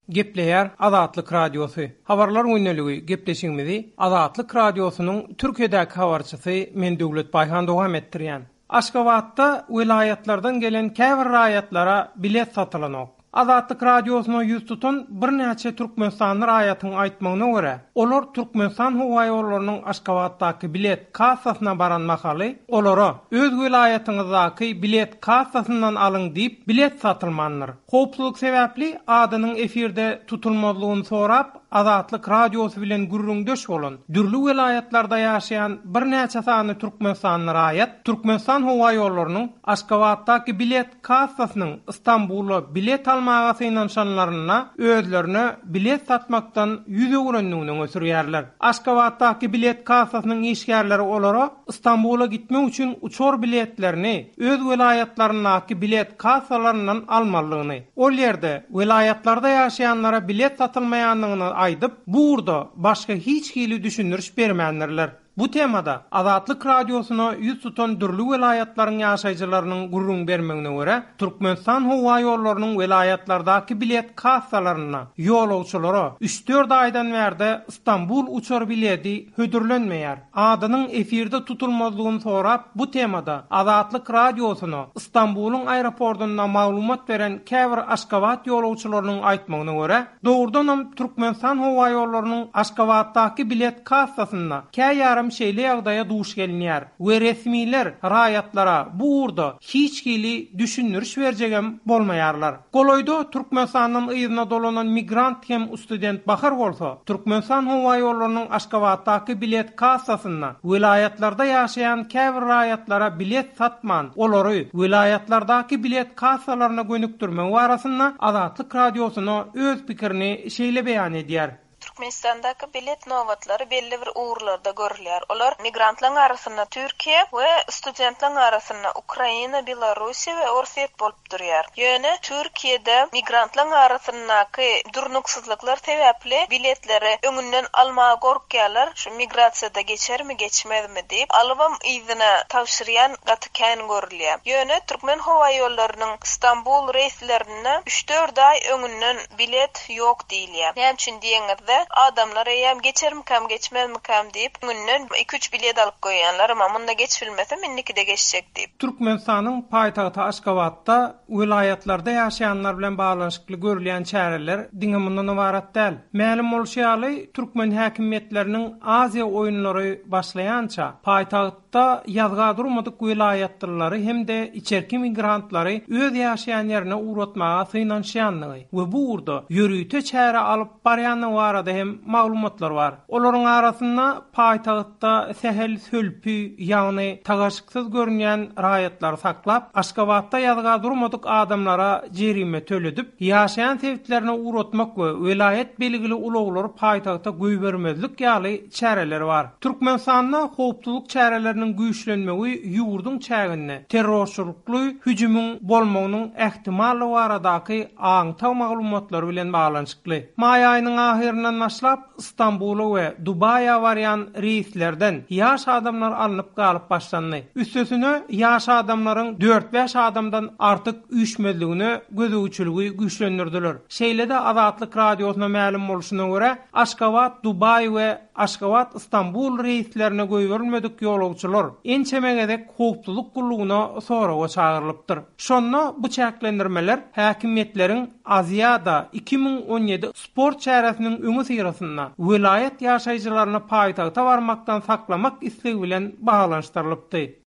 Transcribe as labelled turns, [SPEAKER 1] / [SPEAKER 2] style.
[SPEAKER 1] Gepleýär Azatlyk Radiosy. Habarlar gündeligi gepleşigimizi Azatlyk Radiosynyň Türkiýedäki habarçysy men Döwlet Baýhan dowam etdirýän. Aşgabatda welaýatlardan gelen käbir raýatlara bilet satylanok. Azatlyk Radiosyna ýüz tutan birnäçe türkmenistanly raýatyň aýtmagyna görä, olar Türkmenistan howaýollarynyň Aşgabatdaky bilet kassasyna baran mahaly, olara, Öz welaýatyňyzdaky bilet kassasyndan alyň diýip, bilet satylmandyr. Howpsuzlyk sebäpli adynyň efirde tutulmazlygyny sorap, Azatlyk Radiosy bilen gürrüňdeş bolan, dürli welaýatlarda ýaşaýan birnäçe sany türkmenistanly raýat Türkmenistan howaýollarynyň Aşgabatdaky bilet kassasynyň Stambula bilet almaga synanyşanlarynda özlerine bilet satmakdan ýüz öwrendigini öňe sürýärler. Aşgabatdaky bilet kassasynyň işgärleri olara Stambula gitmek üçin uçar biletlerini öz welaýatlaryndaky bilet kassalaryndan almalydygyny, ol ýerde welaýatlarda ýaşaýanlara bilet satylmaýandygyny aýdyp, bu ugurda başga hiç hili düşündiriş bermändirler. Bu temada Azatlyk Radiosyna ýüz tutan dürli welaýatlaryň ýaşaýjylarynyň gürrüň bermegine görä, Türkmenistan howaýollarynyň welaýatlardaky bilet kassalarynda ýolagçylara üç-dört aýdan bärde Stambul uçar biledi hödürlenmeýär. Adynyň efirde tutulmazlygyny sorap, bu temada Azatlyk Radiosyna Stambulyň aeroportunda maglumat beren käbir Aşgabat ýolagçylarynyň aýtmagyna görä, dogrudanam Türkmenistan howaýollarynyň Aşgabatdaky bilet kassasynda käýarym şeýle ýagdaýa duş gelinýär we resmiler raýatlara bu ugurda hiç hili düşündiriş berjegem bolmaýarlar. Golaýda Türkmenistandan yzyna dolanan migrant hem student Bahar bolsa, Türkmenistan howaýollarynyň Aşgabatdaky bilet kassasynda welaýatlarda ýaşaýan käbir raýatlara bilet satman, olary welaýatlardaky bilet kassalaryna gönükdirmegi barasynda Azatlyk Radiosyna öz pikirini şeýle beýan edýär.
[SPEAKER 2] Türkmenistandaky bilet nobatlary belli bir ugurlarda görülýär. Olar migrantlaryň arasynda Türkiýe we studentleriň arasynda Ukraina, Belarussiýa we Orsýet bolup durýar. Ýöne Türkiýede migrantlaryň arasyndaky durnuksyzlyklar sebäpli biletleri öňünden almaga gorkýarlar, şu migrasiýada geçermi, geçmezmi diýip, alybam yzyna tabşyrýan gaty kän görülýär. Ýöne Türkmenhowaýollarynyň Stambul reýslerinde üç-dört aý öňünden bilet ýok diýilýär. Näme üçin diýeňizde, adamlar eýýäm geçermikäm, geçmezmikäm diýip, öňünden iki-üç bilet alyp goýýanlar, emma munda geçibilmesem, indikide geçjek diýip.
[SPEAKER 1] Türkmenistanyň paýtagty Aşgabatda welaýatlarda ýaşaýanlar bilen baglanyşykly görülýän çäreler diňe mundan ybarat däl. Mälim bolşy ýaly, türkmen häkimiýetleriniň Aziýa oýunlary başlaýança, paýtagt Da ýazga durmadyk welaýatlylary hem-de içerki migrantlary öz ýaşaýan ýerine ugratmaga synanyşýandygy we bu ugurda ýörite çäre alyp barýandygy barada hem maglumatlar bar. Olaryň arasynda paýtagtda sähel sölpi, ýagny tagaşyksyz görünýän raýatlary saklap, Aşgabatda ýazga durmadyk adamlara jerime töledip, ýaşaýan sebitlerine ugratmak we welaýat belgili ulaglary paýtagta goýbermezlik ýaly çäreler bar. Türkmenistanda howpsuzlyk çäreleriniň güýçlenmegi ýurduň çäginde terrorçylykly hüjümiň bolmagynyň ähtimallygy baradaky aňtaw maglumatlary bilen baglanyşykly. Maý aýynyň ahyryndan başlap Stambula we Dubaýa barýan reýslerden ýaş adamlar alnyp galyp başlandy. Üstesine, ýaş adamlaryň dört-bäş adamdan artyk üýşmezligine gözegçiligi güýçlendirdiler. Şeýle-de Azatlyk Radiosyna mälim bolşuna görä, Aşgabat, Dubaý we Aşgabat, Stambul reýslerine goýberilmedik ýolagçylar ençeme gezek howpsuzlyk gullugyna soraga çagyrylypdyr. Şonda bu çäklendirmeler häkimiýetleriň Aziada 2017 sport çäresiniň öňüsyrasynda welaýat ýaşaýjylaryny paýtagta barmakdan saklamak islegi bilen baglanyşdyrylypdy.